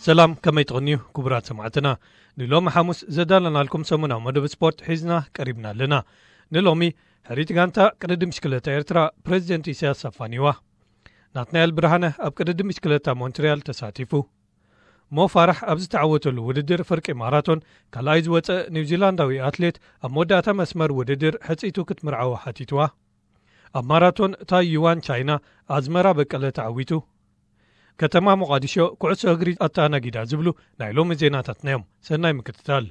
ሰላም፣ ከመይ ትቕንዩ ክቡራት ሰማዕትና? ንሎሚ ሓሙስ ዘዳለናልኩም ሰሙናዊ መደብ ስፖርት ሒዝና ቀሪብና ኣለና። ንሎሚ ሕሪት ጋንታ ቅድድም ብሽክለታ ኤርትራ ፕሬዚደንት ኢሳያስ ኣፋኒዋ። ናትናኤል ብርሃነ ኣብ ቅድድም ብሽክለታ ሞንትሪያል ተሳቲፉ። ሞ ፋራሕ ኣብ ዝተዓወተሉ ውድድር ፍርቂ ማራቶን ካልኣይ ዝወፀ ኒውዚላንዳዊ ኣትሌት ኣብ መወዳእታ መስመር ውድድር ሕፅይቱ ክትምርዓዎ ሓቲትዋ። ኣብ ማራቶን ታይዋን ቻይና ኣዝመራ በቀለ ተዓዊቱ። ከተማ ሞቓዲሾ ኩዕሶ እግሪ ኣተኣናጊዳ ዝብሉ ናይ ሎሚ ዜናታትና እዮም። ሰናይ ምክትታል።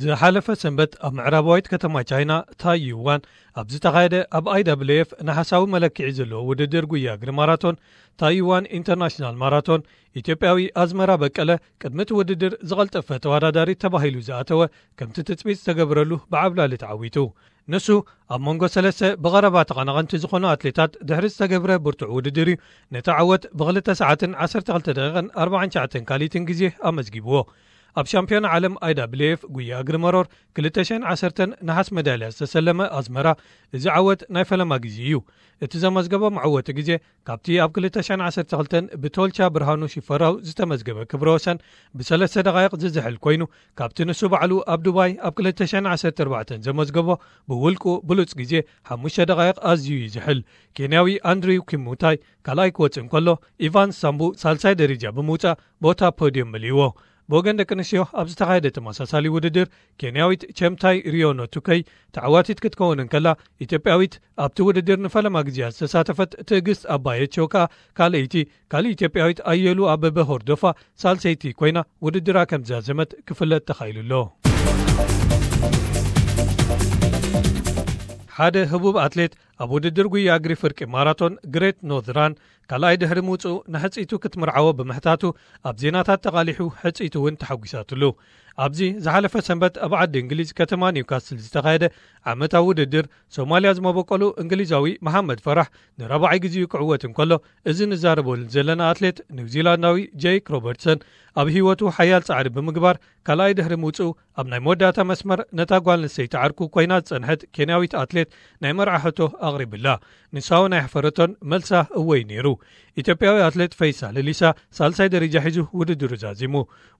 ዝሓለፈ ሰንበት ኣብ ምዕራባዊት ከተማ ቻይና ታይዋን ኣብ ዝተኻየደ ኣብ ኣይዳብልኤፍ ነሓሳዊ መለክዒ ዘለዎ ውድድር ጉያ እግሪ ማራቶን ታይዋን ኢንተርናሽናል ማራቶን ኢትዮጵያዊ ኣዝመራ በቀለ ቅድሚ እቲ ውድድር ዝቐልጠፈ ተወዳዳሪ ተባሂሉ ዝኣተወ ከምቲ ትጽቢት ዝተገብረሉ ብዓብላሊ ተዓዊቱ። ንሱ ኣብ መንጎ ሰለስተ ብቐረባ ተቐናቐንቲ ዝኾኑ ኣትሌታት ድሕሪ ዝተገብረ ብርቱዕ ውድድር እዩ ነቲ ዓወት ብክልተ ሰዓትን ዓሰርተ ክልተ ደቂቕን ኣርባዓን ትሽዓተን ካልኢትን ግዜ ኣመዝጊብዎ። ኣብ ሻምፒዮና ዓለም ኣይዳብልኤፍ ጉያ እግሪ መሮር ክልተ ሽሕን ዓሰርተን ነሓስ መዳልያ ዝተሰለመ ኣዝመራ፣ እዚ ዓወት ናይ ፈለማ ግዜ እዩ። እቲ ዘመዝገቦ መዕወቲ ግዜ ካብቲ ኣብ ክልተ ሽሕን ዓሰርተ ክልተን ብቶልቻ ብርሃኑ ሽፈራው ዝተመዝገበ ክብረ ወሰን ብሰለስተ ደቓይቕ ዝዝሕል ኮይኑ፣ ካብቲ ንሱ ባዕሉ ኣብ ዱባይ ኣብ ክልተ ሽሕን ዓሰርተ ኣርባዕተን ዘመዝገቦ ብውልቁ ብሉጽ ግዜ ሓሙሽተ ደቓይቕ ኣዝዩ ይዝሕል። ኬንያዊ ኣንድሪው ኪሙታይ ካልኣይ ክወጽእ እንከሎ፣ ኢቫንስ ሳምቡ ሳልሳይ ደረጃ ብምውጻእ ቦታ ፖድዮም መሊእዎ። ብወገን ደቂ ኣንስትዮ ኣብ ዝተኻየደ ተመሳሳሊ ውድድር፣ ኬንያዊት ቸምታይ ሪዮኖ ቱከይ ተዓዋቲት ክትከውን እንከላ፣ ኢትዮጵያዊት ኣብቲ ውድድር ንፈለማ ግዜያ ዝተሳተፈት ትዕግስት ኣባየቸው ከኣ ካልኣይቲ፣ ካልእ ኢትዮጵያዊት ኣየሉ ኣበበ ሆርዶፋ ሳልሰይቲ ኮይና ውድድራ ከም ዝዛዘመት ክፍለጥ ተኻኢሉ ኣሎ። ሓደ ህቡብ ኣትሌት ኣብ ውድድር ጉያ እግሪ ፍርቂ ማራቶን ግሬት ኖርዝ ራን ካልኣይ ድሕሪ ምውጽኡ ንሕጽይቱ ክትምርዓዎ ብምሕታቱ ኣብ ዜናታት ተቓሊሑ፣ ሕጽይቱ እውን ተሓጒሳትሉ። ኣብዚ ዝሓለፈ ሰንበት ኣብ ዓዲ እንግሊዝ ከተማ ኒውካስል ዝተኻየደ ዓመታዊ ውድድር ሶማልያ ዝመበቆሉ እንግሊዛዊ መሓመድ ፈራሕ ንራብዓይ ግዜኡ ክዕወት እንከሎ፣ እዚ ንዛረበሉ ዘለና ኣትሌት ኒውዚላንዳዊ ጄክ ሮበርትሰን ኣብ ህይወቱ ሓያል ጻዕሪ ብምግባር ካልኣይ ድሕሪ ምውጽኡ ኣብ ናይ መወዳእታ መስመር ነታ ጓል ኣንስተይቲ ዓርኩ ኮይና ዝጸንሐት ኬንያዊት ኣትሌት ናይ መርዓ ሕቶ ኣቕሪብላ። ንሳ እውን ኣይሕፈረቶን፣ መልሳ እወ እዩ ነይሩ። ኢትዮጵያዊ ኣትሌት ፈይሳ ለሊሳ ሳልሳይ ደረጃ ሒዙ ውድድሩ ዛዚሙ።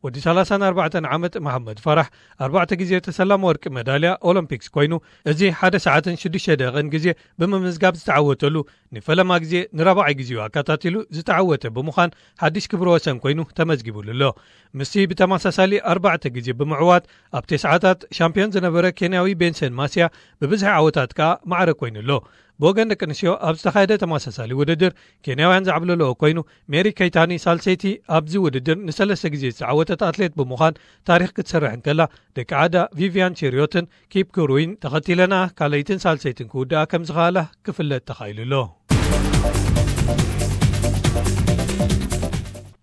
ወዲ ሰላሳን ኣርባዕተን ዓመት መሓመድ ፈራሕ ኣርባዕተ ግዜ ተሰላሚ ወርቂ መዳልያ ኦሎምፒክስ ኮይኑ፣ እዚ ሓደ ሰዓትን ሽዱሽተ ደቂቕን ግዜ ብምምዝጋብ ዝተዓወተሉ ንፈለማ ግዜ ንራብዓይ ግዜኡ ኣከታቲሉ ዝተዓወተ ብምዃን ሓድሽ ክብረ ወሰን ኮይኑ ተመዝጊቡሉ ኣሎ። ምስቲ ብተመሳሳሊ ኣርባዕተ ግዜ ብምዕዋት ኣብ ተስዓታት ሻምፒዮን ዝነበረ ኬንያዊ ቤንሰን ማስያ ብብዝሒ ዓወታት ከኣ ማዕረ ኮይኑ ኣሎ። ብወገን ደቂ ኣንስትዮ ኣብ ዝተኻየደ ተመሳሳሊ ውድድር ኬንያውያን ዝዓብለለኦ ኮይኑ፣ ሜሪ ከይታኒ ሳልሰይቲ ኣብዚ ውድድር ንሰለስተ ግዜ ዝተዓወተት ኣትሌት ብምዃን ታሪኽ ክትሰርሕ እንከላ፣ ደቂ ዓዳ ቪቪያን ቼሪዮትን ኪፕ ክሩይን ተኸቲለና ካልኣይትን ሳልሰይትን ክውድኣ ከም ዝኸኣላ ክፍለጥ ተኻኢሉ ኣሎ።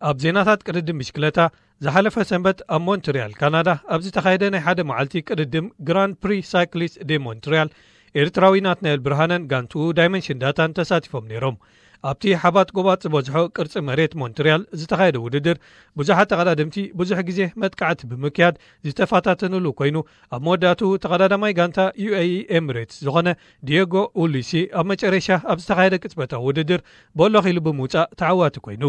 ኣብ ዜናታት ቅድድም ብሽክለታ፣ ዝሓለፈ ሰንበት ኣብ ሞንትሪያል ካናዳ ኣብ ዝተኻየደ ናይ ሓደ መዓልቲ ቅድድም ግራንድ ፕሪ ሳይክሊስት ዴ ሞንትሪያል፣ ኤርትራዊ ናትናኤል ብርሃነን ጋንትኡ ዳይመንሽን ዳታን ተሳቲፎም ነይሮም። ኣብቲ ሓባጥ ጎባጥ ዝበዝሖ ቅርጺ መሬት ሞንትሪያል ዝተኻየደ ውድድር፣ ብዙሓት ተቐዳደምቲ ብዙሕ ግዜ መጥቃዕቲ ብምክያድ ዝተፈታተንሉ ኮይኑ፣ ኣብ መወዳእትኡ ተቐዳዳማይ ጋንታ ዩ ኤ ኢ ኤምሬትስ ዝኾነ ዲየጎ ኡሊሲ ኣብ መጨረሻ ኣብ ዝተኻየደ ቅጽበታዊ ውድድር በሎኽ ኢሉ ብምውጻእ ተዓዋቲ ኮይኑ።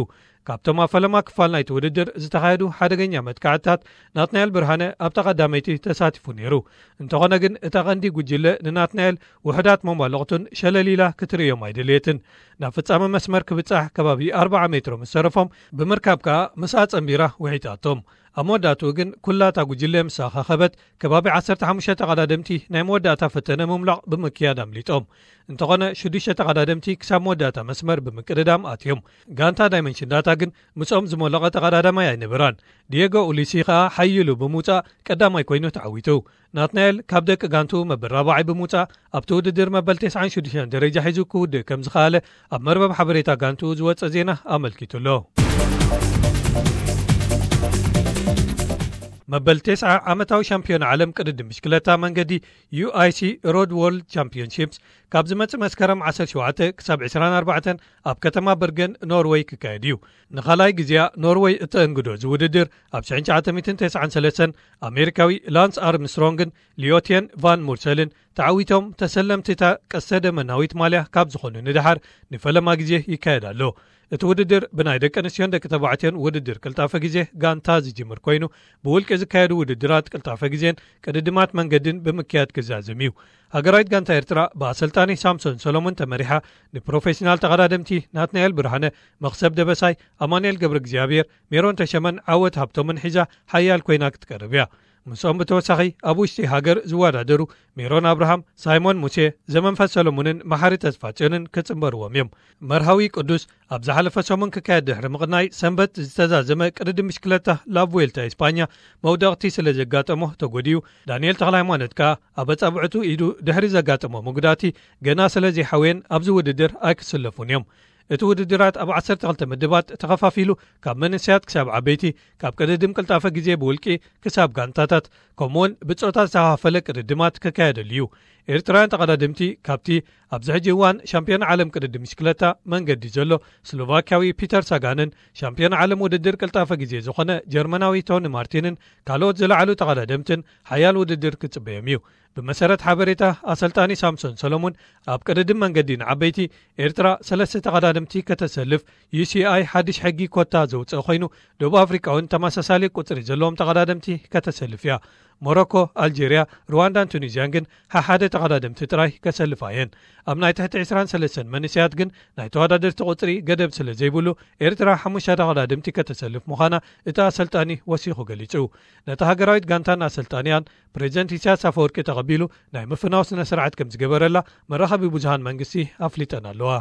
ካብቶም ኣብ ፈለማ ክፋል ናይቲ ውድድር ዝተኻየዱ ሓደገኛ መጥቃዕትታት ናትናኤል ብርሃነ ኣብታ ቀዳመይቲ ተሳቲፉ ነይሩ። እንተኾነ ግን እታ ቀንዲ ጉጅለ ንናትናኤል ውሑዳት መማልቕቱን ሸለል ኢላ ክትርእዮም ኣይደልየትን። ናብ ፍጻመ መስመር ክብጻሕ ከባቢ ኣርብዓ ሜትሮ ምስ ተረፎም ብምርካብ ከኣ ምስኣ ጸንቢራ ውሒጣቶም። ኣብ መወዳእትኡ ግን ኩላ እታ ጉጅለ ምስ ኣኻኸበት ከባቢ ዓሰርተ ሓሙሽተ ተቐዳደምቲ ናይ መወዳእታ ፈተነ ምምላቕ ብምክያድ ኣምሊጦም። እንተኾነ ሽዱሽተ ተቐዳደምቲ ክሳብ መወዳእታ መስመር ብምቅድዳም ኣትዮም። ጋንታ ዳይመንሽን ዳታ ግን ምስኦም ዝሞለቐ ተቐዳዳማይ ኣይነበራን። ዲየጎ ኡሊሲ ከኣ ሓይሉ ብምውጻእ ቀዳማይ ኮይኑ ተዓዊቱ። ናትናኤል ካብ ደቂ ጋንቱ መበል ራብዓይ ብምውጻእ ኣብቲ ውድድር መበል ተስዓን ሽዱሽተን ደረጃ ሒዙ ክውድእ ከም ዝኸኣለ ኣብ መርበብ ሓበሬታ ጋንቱ ዝወጸ ዜና ኣመልኪቱ ኣሎ። መበል ተስዓ ዓመታዊ ሻምፒዮን ዓለም ቅድድም ብሽክለታ መንገዲ ዩ ኣይ ሲ ሮድ ወርልድ ቻምፒዮንሺፕስ ካብ ዝመጽእ መስከረም ዓሰርተ ሸውዓተ ክሳብ ዕስራን ኣርባዕተን ኣብ ከተማ በርገን ኖርወይ ክካየድ እዩ። ንኻልኣይ ግዜያ ኖርወይ እተእንግዶ እዚ ውድድር ኣብ ሽሕን ትሽዓተ ሚእትን ተስዓን ሰለስተን ኣሜሪካዊ ላንስ ኣርምስትሮንግን ሊዮቴን ቫን ሙርሰልን ተዓዊቶም ተሰለምቲ እታ ቀስተ ደመናዊት ማልያ ካብ ዝኾኑ ንደሓር ንፈለማ ግዜ ይካየድ ኣሎ። እቲ ውድድር ብናይ ደቂ ኣንስትዮን ደቂ ተባዕትዮን ውድድር ቅልጣፈ ግዜ ጋንታ ዝጅምር ኮይኑ፣ ብውልቂ ዝካየዱ ውድድራት ቅልጣፈ ግዜን ቅድድማት መንገድን ብምክያድ ክዛዘም እዩ። ሃገራዊት ጋንታ ኤርትራ ብኣሰልጣኒ ሳምሶን ሰሎሞን ተመሪሓ፣ ንፕሮፌሽናል ተቐዳደምቲ ናትናኤል ብርሃነ፣ መኽሰብ ደበሳይ፣ ኣማኑኤል ገብረ እግዚኣብሔር፣ ሜሮን ተሸመን ዓወት ሃብቶምን ሒዛ ሓያል ኮይና ክትቀርብ እያ። ምስኦም ብተወሳኺ ኣብ ውሽጢ ሃገር ዝወዳደሩ ሜሮን ኣብርሃም፣ ሳይሞን ሙሴ፣ ዘመንፈስ ሰሎሞንን መሓሪ ተስፋጽዮንን ክጽንበርዎም እዮም። መርሃዊ ቅዱስ ኣብ ዝሓለፈ ሰሙን ክካየድ ድሕሪ ምቕናይ፣ ሰንበት ዝተዛዘመ ቅድድም ብሽክለታ ላብ ቬልታ ኢስፓኛ መውደቕቲ ስለ ዘጋጠሞ ተጎዲኡ። ዳንኤል ተኽለሃይማኖት ከኣ ኣብ ኣጻብዕቱ ኢዱ ድሕሪ ዘጋጠሞ መጉዳእቲ ገና ስለ ዘይሓወየን ኣብዚ ውድድር ኣይክስለፉን እዮም። እቲ ውድድራት ኣብ ዓሰርተ ክልተ ምድባት ተኸፋፊሉ፣ ካብ መንእሰያት ክሳብ ዓበይቲ፣ ካብ ቅድድም ቅልጣፈ ግዜ ብውልቂ ክሳብ ጋንታታት፣ ከምኡውን ብጾታ ዝተኸፋፈለ ቅድድማት ክካየደሉ እዩ። ኤርትራውያን ተቐዳደምቲ ካብቲ ኣብዚ ሕጂ እዋን ሻምፒዮን ዓለም ቅድድም ብሽክለታ መንገዲ ዘሎ ስሎቫክያዊ ፒተር ሳጋንን ሻምፒዮን ዓለም ውድድር ቅልጣፈ ግዜ ዝኾነ ጀርመናዊ ቶኒ ማርቲንን ካልኦት ዝለዓሉ ተቐዳደምትን ሓያል ውድድር ክጽበዮም እዩ። ብመሰረት ሓበሬታ ኣሰልጣኒ ሳምሶን ሰሎሙን፣ ኣብ ቅድድም መንገዲ ንዓበይቲ ኤርትራ ሰለስተ ተቐዳደምቲ ከተሰልፍ ዩ ሲ ኣይ ሓድሽ ሕጊ ኮታ ዘውፅአ ኮይኑ፣ ደቡብ ኣፍሪቃ እውን ተመሳሳሊ ቁፅሪ ዘለዎም ተቐዳደምቲ ከተሰልፍ እያ። ሞሮኮ፣ ኣልጄርያ፣ ሩዋንዳን ቱኒዝያን ግን ሓሓደ ተቐዳደምቲ ጥራይ ከሰልፋ እየን። ኣብ ናይ ትሕቲ ዕስራን ሰለስተን መንእሰያት ግን ናይ ተወዳደርቲ ቁፅሪ ገደብ ስለ ዘይብሉ፣ ኤርትራ ሓሙሽተ ተቐዳደምቲ ከተሰልፍ ምዃና እቲ ኣሰልጣኒ ወሲኹ ገሊጹ። ነታ ሃገራዊት ጋንታን ኣሰልጣኒያን ፕሬዚደንት ኢሳያስ ኣፈወርቂ ተቐቢሉ ናይ ምፍናው ስነ ስርዓት ከም ዝገበረላ መራኸቢ ብዙሃን መንግስቲ ኣፍሊጠን ኣለዋ።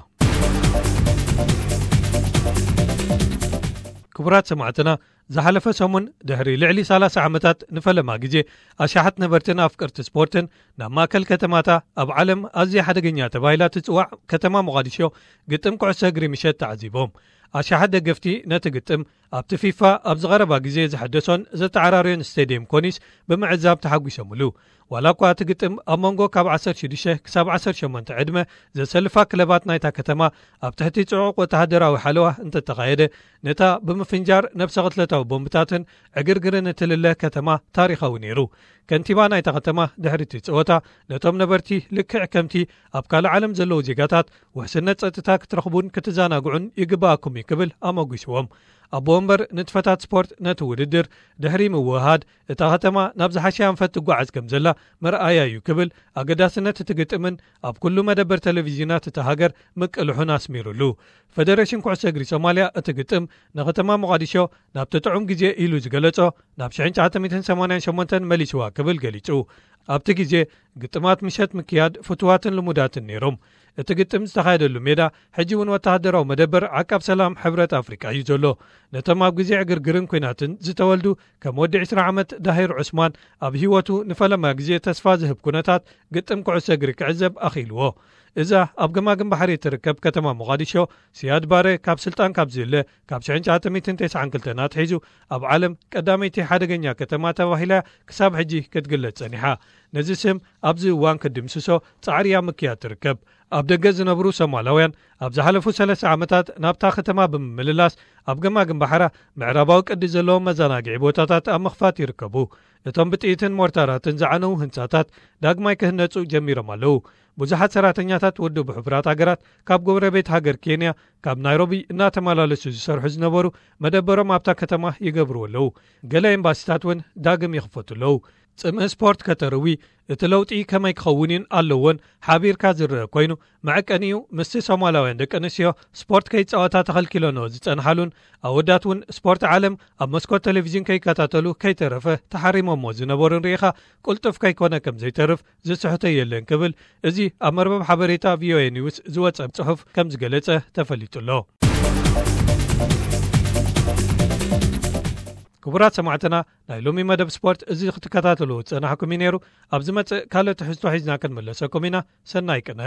ክቡራት ሰማዕትና፣ ዝሓለፈ ሰሙን ድሕሪ ልዕሊ ሰላሳ ዓመታት ንፈለማ ግዜ ኣሽሓት ነበርትን ኣፍቀርቲ ስፖርትን ናብ ማእከል ከተማታ ኣብ ዓለም ኣዝያ ሓደገኛ ተባሂላ ትጽዋዕ ከተማ ሞቓዲሾ ግጥም ኩዕሶ እግሪ ምሸት ተዓዚቦም። ኣሽሓት ደገፍቲ ነቲ ግጥም ኣብቲ ፊፋ ኣብዚ ቀረባ ግዜ ዝሐደሶን ዘተዓራረዮን ስቴድየም ኮኒስ ብምዕዛብ ተሓጒሶምሉ። ዋላ እኳ እቲ ግጥም ኣብ መንጎ ካብ ዓሰርተ ሽዱሽተ ክሳብ ዓሰርተ ሸሞንተ ዕድመ ዘሰልፋ ክለባት ናይታ ከተማ ኣብ ትሕቲ ጽዑቕ ወተሃደራዊ ሓለዋ እንተተኻየደ፣ ነታ ብምፍንጃር ነብሰ ቅትለታዊ ቦምብታትን ዕግርግርን እትልለ ከተማ ታሪኻዊ ነይሩ። ከንቲባ ናይታ ከተማ ድሕሪ እቲ ጸወታ ነቶም ነበርቲ ልክዕ ከምቲ ኣብ ካልእ ዓለም ዘለዉ ዜጋታት ውሕስነት ጸጥታ ክትረኽቡን ክትዘናግዑን ይግባኣኩም እዩ ክብል ኣመጒስዎም። ኣቦ ወንበር ንጥፈታት ስፖርት ነቲ ውድድር ድሕሪ ምውህሃድ እታ ከተማ ናብ ዝሓሸ ኣንፈት ትጓዓዝ ከም ዘላ መርኣያ እዩ ክብል ኣገዳስነት እቲ ግጥምን ኣብ ኩሉ መደበር ቴሌቪዥናት እታ ሃገር ምቅልሑን ኣስሚሩሉ። ፈደሬሽን ኩዕሶ እግሪ ሶማልያ እቲ ግጥም ንከተማ ሞቓዲሾ ናብቲ ጥዑም ግዜ ኢሉ ዝገለጾ ናብ ሽሕን ትሽዓተ ሚእትን ሰማንያን ሸሞንተን መሊስዋ ክብል ገሊጹ። ኣብቲ ግዜ ግጥማት ምሸት ምክያድ ፍቱዋትን ልሙዳትን ነይሮም። እቲ ግጥም ዝተኻየደሉ ሜዳ ሕጂ እውን ወተሃደራዊ መደበር ዓቃብ ሰላም ሕብረት ኣፍሪቃ እዩ ዘሎ። ነቶም ኣብ ግዜ ዕግርግርን ኲናትን ዝተወልዱ ከም ወዲ ዕስራ ዓመት ዳሂር ዑስማን ኣብ ህይወቱ ንፈለማ ግዜ ተስፋ ዝህብ ኩነታት ግጥም ኩዕሶ እግሪ ክዕዘብ ኣኽኢልዎ። እዛ ኣብ ገማግም ባሕሪ እትርከብ ከተማ ሞቓዲሾ፣ ሲያድ ባረ ካብ ስልጣን ካብ ዝህለ ካብ ሽሕን ትሽዓተ ሚእትን ተስዓን ክልተን ኣትሒዙ ኣብ ዓለም ቀዳመይቲ ሓደገኛ ከተማ ተባሂላ ክሳብ ሕጂ ክትግለጽ ጸኒሓ። ነዚ ስም ኣብዚ እዋን ክትድምስሶ ጻዕሪ ኣብ ምክያድ ትርከብ። ኣብ ደገ ዝነብሩ ሶማላውያን ኣብ ዝሓለፉ ሰለስተ ዓመታት ናብታ ከተማ ብምምልላስ ኣብ ገማግም ባሕራ ምዕራባዊ ቅዲ ዘለዎም መዘናግዒ ቦታታት ኣብ ምኽፋት ይርከቡ። እቶም ብጥይትን ሞርታራትን ዝዓነዉ ህንጻታት ዳግማይ ክህነጹ ጀሚሮም ኣለዉ። ብዙሓት ሰራሕተኛታት ውድብ ሕቡራት ሃገራት ካብ ጎረቤት ሃገር ኬንያ ካብ ናይሮቢ እናተመላለሱ ዝሰርሑ ዝነበሩ መደበሮም ኣብታ ከተማ ይገብሩ ኣለዉ። ገለ ኤምባሲታት እውን ዳግም ይኽፈቱ ኣለዉ። ጽምኢ ስፖርት ከተርዊ እቲ ለውጢ ከመይ ክኸውን ኣለዎን ሓቢርካ ዝረአ ኮይኑ፣ መዐቀኒኡ ምስቲ ሶማላውያን ደቂ ኣንስትዮ ስፖርት ከይጻወታ ተኸልኪሎኖ ዝጸንሓሉን ኣወዳት እውን ስፖርት ዓለም ኣብ መስኮት ቴሌቪዥን ከይከታተሉ ከይተረፈ ተሓሪሞሞ ዝነበሩን ርኢኻ ቅልጡፍ ከይኮነ ከም ዘይተርፍ ዝስሕቶ የለን ክብል እዚ ኣብ መርበብ ሓበሬታ ቪኦኤ ኒውስ ዝወጸ ጽሑፍ ከም ዝገለጸ ተፈሊጡ ኣሎ። ክቡራት ሰማዕትና፣ ናይ ሎሚ መደብ ስፖርት እዚ ክትከታተሉ ዝጸናሕኩም እዩ ነይሩ። ኣብ ዝመጽእ ካልእ ትሕዝቶ ሒዝና ክንምለሰኩም ኢና። ሰናይ ቅነ።